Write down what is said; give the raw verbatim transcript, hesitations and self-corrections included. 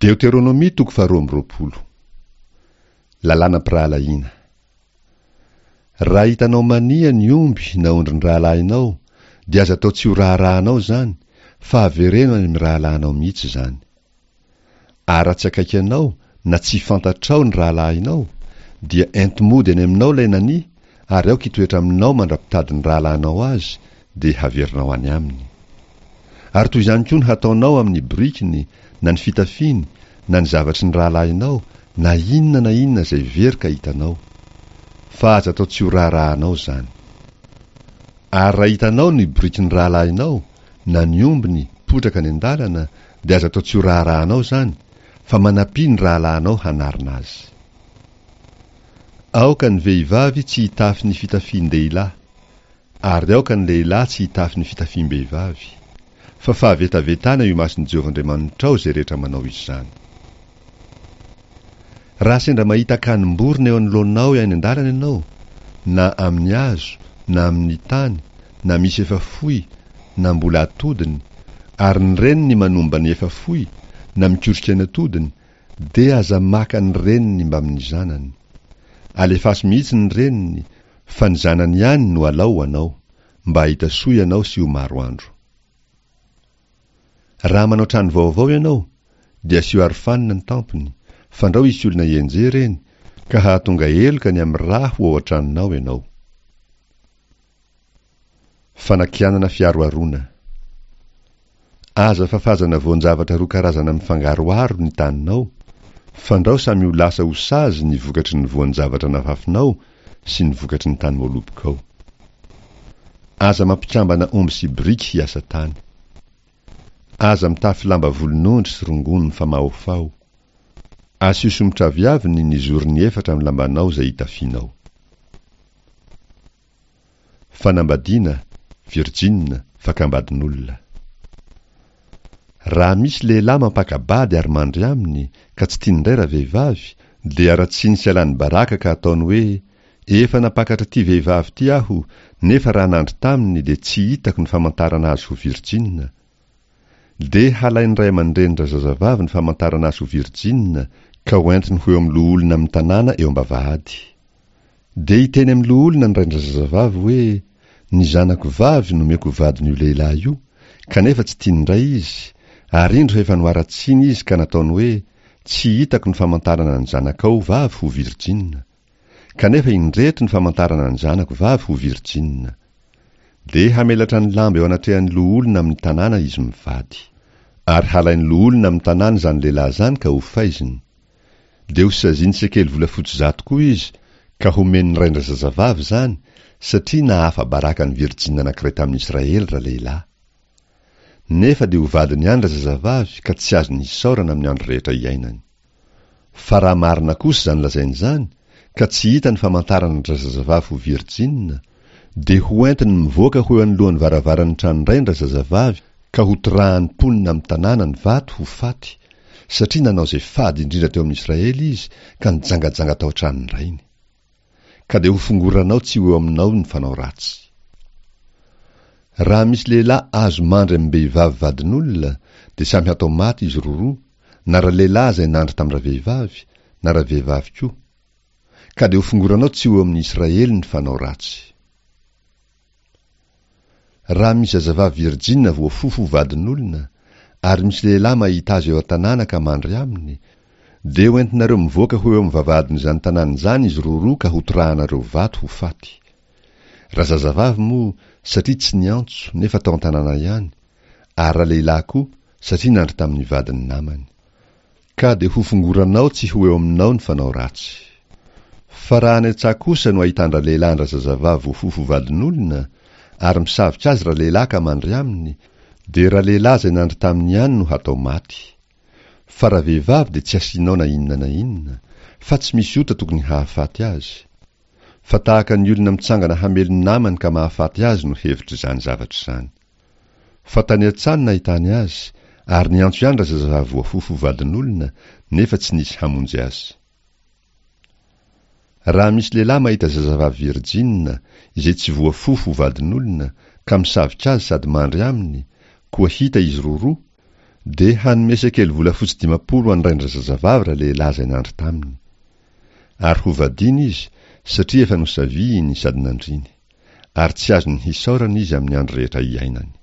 Deoteronomia toko faharoa amby roapolo. Lalànam-pirahalahiana. Raha hitanao mania ny omby na ondrin'ny rahalahinao, dia aza atao tsy ho raharahanao izany, fa avereno any amin'ny rahalahinao mihitsy izany. Ary raha tsy akaiky anao na tsy fantatrao ny rahalahinao, dia ento mody any aminao ilay nania, ary aoka hitoetra aminao mandra-pitadin'ny rahalahinao azy, dia haverinao any aminy. Ary toy izany koa no hataonao amin'ny borikiny, na ny fitafiany, na ny zavatry ny rahalahinao, na inona na inona izay very ka hitanao. Fa aza atao tsy ho raharahanao izany. Ary raha hitanao ny borikin'ny rahalahinao, na ny ombiny, potraka any an-dalana, dia aza atao tsy ho raharahanao izany, fa manampia ny rahalahinao hanarina azy. Aoka ny vehivavy tsy hitafy ny fitafian-dehilahy, ary aoka ny lehilahy tsy hitafy ny fitafiam-behivavy, fa fahavetavetana eo imason'i Jehovah Andriamanitrao izay rehetra manao izany. Raha sendra mahita akanim-borona eo anoloanao any an-dalana ianao, na amin'ny hazo, na amin'ny tany, na misy efa foy, na mbola atodiny, ary ny reniny manomba ny efa foy, na mikotrika ny atodiny, dia aza maka ny reniny mbamin'ny zanany. Alefaso mihitsy ny reniny, fa ny zanany ihany no alao ho anao, mba hahita soa ianao sy ho maro andro. Raha manao trano vaovao ianao, dia asio arofanina ny tampony, fandrao hisy olona hianjera eny, ka hahatonga heloka ny amin'ny rà ho ao an-tranonao ianao. Fanakianana fiaroharoana. Aza fafazana voan-javatra roa karazana mifangaroharo ny taninao, fandrao samy ho lasa ho sazy ny vokatry ny voan-javatra nafafinao sy ny vokatry ny tany voalobokao. Aza mampikambana omby sy biriky hiasa tany. Aza mitafy lamba volonondry sy rongony mifamahofaho. Asio somotraviaviny ny zorony efatra amin'ny lambanao izay itafianao. Fanambadiana, virjina, fakam-badin'olona. Raha misy lehilahy mampaka-bady ary mandry aminy, ka tsy tiany indray ravehivavy, dia haratsiany sy alany baraka ka ataony hoe, Efa nampakatra ity vehivavy ity aho, nefa raha nandry taminy dia tsy hitako ny famantarana azy ho virjina. Dia halain'ny ray aman-drenin-drazazavavy ny famantarana azy ho virjina, ka hoentiny ho eo amin'ny loholona amin'ny tanàna eo am-bavahady. Dia hiteny amin'ny loholona ny rain-drazazavavy hoe, Ny zanako vavy nomeko ho vadin'io lehilahy io, kanefa tsy tiany indray izy, ary indro efa noharatsiany izy ka nataony hoe, Tsy hitako ny famantarana ny zanakao vavy ho virjina. Kanefa indreto ny famantarana ny zanako vavy ho virjina. Dia hamelatra ny lamba eo anatrehan'ny loholona amin'ny tanàna izy mivady. Ary halain'ny loholona amin'ny tanàna izany lehilahy izany ka hofaiziny. Dia hosaziany sekely volafotsy zato koa izy, ka homen'ny rain-drazazavavy izany, satria nahafa-baraka ny virjina anankiray tamin'ny Israely ralehilahy. Nefa dia ho vadiny ihany razazavavy ka tsy azony hisaorana amin'ny andro rehetra iainany. Fa raha marina kosa izany lazainy izany, ka tsy hita ny famantarana an-drazazavavy ho virjina, dia ho entiny mivoaka ho eo anoloan'ny varavaran'ny tranon-drain-drazazavavy ka hotorahan'ny mponina amin'ny tanàna ny vato ho faty, satria nanao izay fady indrindra teo amin'i Israely izy ka nijangajanga tao an-tranon-drainy. Ka dia hofongoranao tsy ho eo aminao ny fanao ratsy. Raha misy lehilahy azo mandry amim-behivavy vadin'olona, dia samy hatao maty izy roroa, na ralehilahy izay nandry tamin-dravehivavy, na ravehivavy koa. Ka dia hofongoranao tsy ho eo amin'ny Israely ny fanao ratsy. Raha misy zazavavy virjina voafofo ho vadin'olona, ary misy lehilahy mahita azy eo an-tanàna ka mandry aminy, dia hoentinareo mivoaka ho eo amin'ny vavahadin'izany tanàna izany izy roroa ka hotorahanareo vato ho faty. Razazavavy moa, satria tsy niantso, nefa tao an-tanàna ihany, ary ralehilahy koa, satria nandry tamin'ny vadin'ny namany. Ka dia hofongoranao tsy ho eo aminao ny fanao ratsy. Fa raha any an-tsaha kosa no ahitan-dralehilahy an-drazazavavy voafofo ho vadin'olona, ary misavika azy ralehilahy ka mandry aminy, dia ralehilahy izay nandry taminy ihany no hatao maty. Fa ravehivavy dia tsy asianao na inona na inona, fa tsy misy ota tokony hahafaty azy. Fa tahaka ny olona mitsangana hamely ny namany ka mahafaty azy no hevitr'izany zavatra izany. Fa tany an-tsaha no nahitany azy, ary niantso ihany razazavavy voafofo ho vadin'olona, nefa tsy nisy hamonjy azy. Raha misy lehilahy mahita zazavavy virjina, izay tsy voafofo ho vadin'olona, ka misavika azy sady mandry aminy, koa hita izy roroa, Dia hanome sekely volafotsy dimampolo ho an-drain-drazazavavy ralehilahy izay nandry taminy. Ary hovadiana izy, satria efa nosavihiny sady nandriny. Ary tsy azony hisaorana izy amin'ny andro rehetra iainany.